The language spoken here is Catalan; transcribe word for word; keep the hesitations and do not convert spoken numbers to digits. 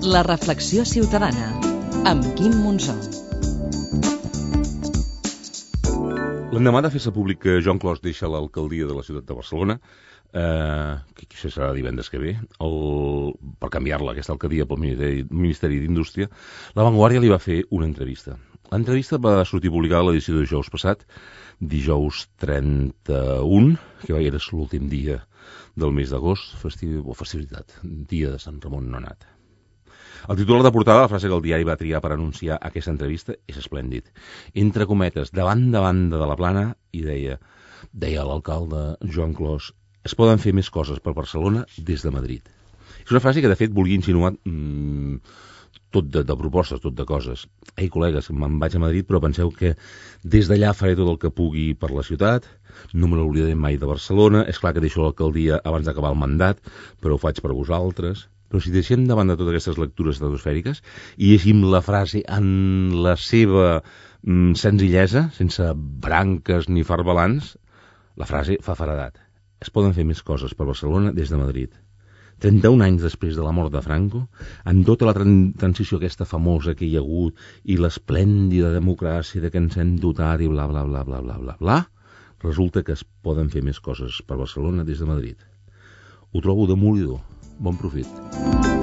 La reflexió ciutadana, amb Quim Monzó. L'endemà de fer-se públic que Joan Clos deixa l'alcaldia de la ciutat de Barcelona, eh, que això serà divendres que ve, el, per canviar-la, aquesta alcaldia pel Ministeri, Ministeri d'Indústria, La Vanguardia li va fer una entrevista. L'entrevista va sortir publicada a l'edició de dijous passat, dijous trenta-un, que era l'últim dia del mes d'agost, festiu, o festivitat, dia de Sant Ramon Nonat. El titular de portada, la frase que el diari va triar per anunciar aquesta entrevista, és esplèndid. Entre cometes, davant de banda de la plana, i deia, deia l'alcalde Joan Clos, es poden fer més coses per Barcelona des de Madrid. És una frase que, de fet, volia insinuar mmm, tot de, de propostes, tot de coses. Ei, col·legues, me'n vaig a Madrid, però penseu que des d'allà faré tot el que pugui per la ciutat, no me n'oblidaré mai de Barcelona, és clar que deixo l'alcaldia abans d'acabar el mandat, però ho faig per vosaltres. Però si deixem davant de totes aquestes lectures estratosfèriques i llegim la frase en la seva mm, senzillesa, sense branques ni farbalans, la frase fa faradat. Es poden fer més coses per Barcelona des de Madrid. trenta-un anys després de la mort de Franco, amb tota la tran- transició aquesta famosa que hi ha hagut i l'esplèndida democràcia de que ens hem dotat i bla, bla, bla, bla, bla, bla, bla, resulta que es poden fer més coses per Barcelona des de Madrid. Ho trobo demolidor. Bon profit.